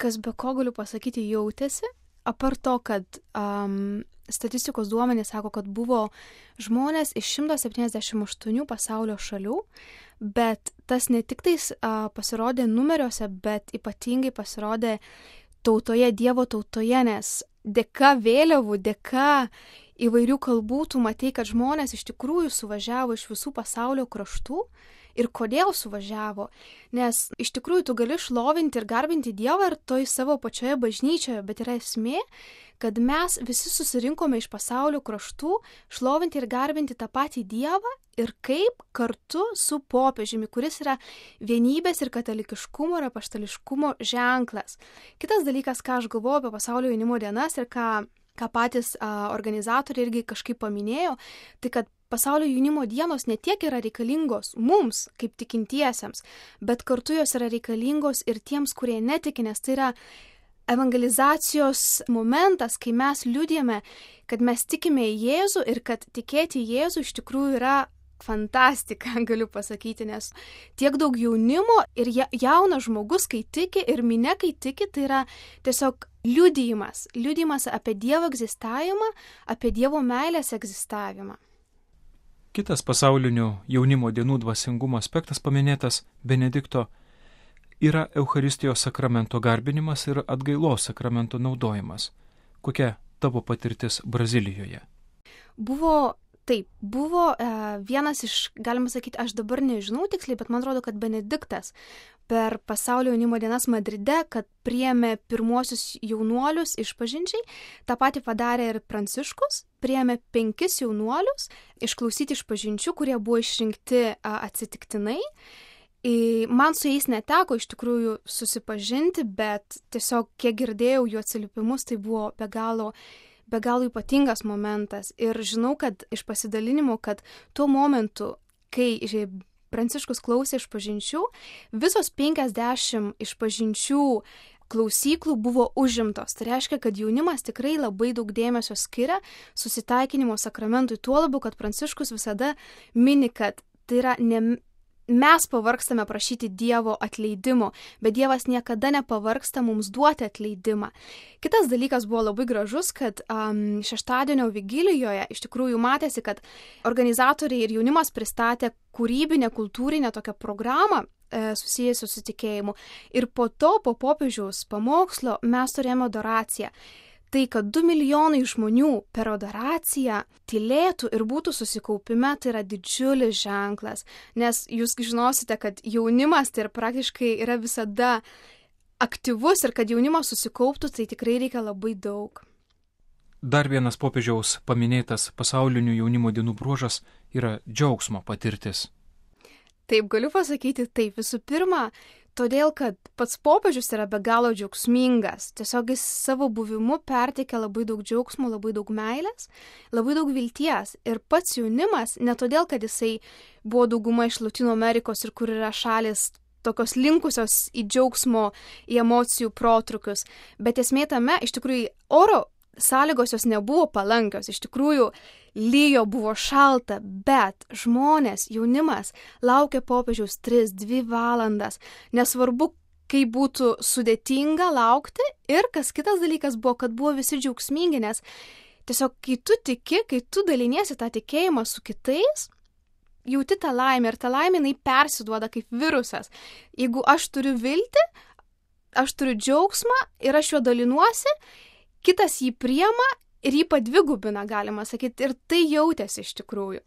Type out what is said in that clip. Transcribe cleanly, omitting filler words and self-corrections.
kas be ko galiu pasakyti jautėsi, apart to, kad statistikos duomenys sako, kad buvo žmonės iš 178 pasaulio šalių, bet tas ne tik tais pasirodė numeriuose, bet ypatingai pasirodė tautoje, Dievo tautoje, nes dėka vėliavų, dėka įvairių kalbų tu matei, kad žmonės iš tikrųjų suvažiavo iš visų pasaulio kraštų. Ir kodėl suvažiavo? Nes iš tikrųjų tu gali šlovinti ir garbinti Dievą ir toj savo pačioje bažnyčioje, bet yra esmė, kad mes visi susirinkome iš pasaulio kraštų šlovinti ir garbinti tą patį Dievą ir kaip kartu su popiežiumi, kuris yra vienybės ir katalikiškumo ir apaštališkumo ženklas. Kitas dalykas, ką aš galvoju apie pasaulio jaunimo dienas ir ką patys organizatoriai irgi kažkaip paminėjo, tai kad pasaulio jaunimo dienos ne tiek yra reikalingos mums, kaip tikintiesiems, bet kartu jos yra reikalingos ir tiems, kurie netiki, nes tai yra evangelizacijos momentas, kai mes liudijame, kad mes tikime į Jėzų ir kad tikėti į Jėzų iš tikrųjų yra fantastika, galiu pasakyti, nes tiek daug jaunimo ir jaunas žmogus, kai tiki ir minia, kai tiki, tai yra tiesiog liudijimas apie Dievo egzistavimą, apie Dievo meilės egzistavimą. Kitas pasaulinių jaunimo dienų dvasingumo aspektas paminėtas Benedikto yra Eucharistijos sakramento garbinimas ir atgailos sakramento naudojimas. Kokia tavo patirtis Brazilijoje? Buvo vienas iš, galima sakyti, aš dabar nežinau tiksliai, bet man atrodo, kad Benediktas per pasaulio jaunimo dienas Madride, kad priėmė pirmuosius jaunuolius išpažinčiai, tą patį padarė ir Pranciškus, priėmė 5 jaunuolius išklausyti išpažinčių, kurie buvo išrinkti atsitiktinai. Man su jais neteko iš tikrųjų susipažinti, bet tiesiog kiek girdėjau jų atsiliepimus, tai buvo be galo ypatingas momentas. Ir žinau, kad iš pasidalinimo, kad tuo momentu, kai Pranciškus klausė išpažinčių, visos 50 išpažinčių klausyklų buvo užimtos. Tai reiškia, kad jaunimas tikrai labai daug dėmesio skiria susitaikinimo sakramentui, tuo labiau, kad Pranciškus visada mini, kad tai yra ne mes pavargstame prašyti Dievo atleidimo, bet Dievas niekada nepavargsta mums duoti atleidimą. Kitas dalykas buvo labai gražus, kad šeštadienio vigilijoje iš tikrųjų matėsi, kad organizatoriai ir jaunimas pristatė kūrybinę, kultūrinę tokią programą susijusią su tikėjimu. Ir po popiežiaus pamokslo mes turėjome adoraciją. Tai, kad 2 milijonai žmonių per adoraciją tylėtų ir būtų susikaupime, tai yra didžiulis ženklas. Nes jūs žinosite, kad jaunimas tai praktiškai yra visada aktyvus ir kad jaunimas susikauptų, tai tikrai reikia labai daug. Dar vienas popiežiaus paminėtas pasaulinių jaunimo dienų bruožas yra džiaugsmo patirtis. Taip, galiu pasakyti taip. Visų pirma, todėl, kad pats popiežius yra be galo džiaugsmingas. Tiesiog jis savo buvimu perteikia labai daug džiaugsmo, labai daug meilės, labai daug vilties. Ir pats jaunimas, ne todėl, kad jisai buvo dauguma iš Latino Amerikos ir kur yra šalis tokios linkusios į džiaugsmo, į emocijų protrukius. Bet esmė tame, iš tikrųjų, oro sąlygos jos nebuvo palankios. Iš tikrųjų, lyjo, buvo šalta, bet žmonės, jaunimas laukė popiežiaus 3-2 valandas. Nesvarbu, kaip būtų sudėtinga laukti. Ir kas kitas dalykas buvo, kad buvo visi džiaugsmingi, nes tiesiog kai tu tiki, kai tu daliniesi tą tikėjimą su kitais, jauti tą laimę ir tą laimę jinai persiduoda kaip virusas. Jeigu aš turiu viltį, aš turiu džiaugsmą ir aš juo dalinuosi, kitas jį priima ir jį padvigubina, galima sakyti, ir tai jautėsi iš tikrųjų.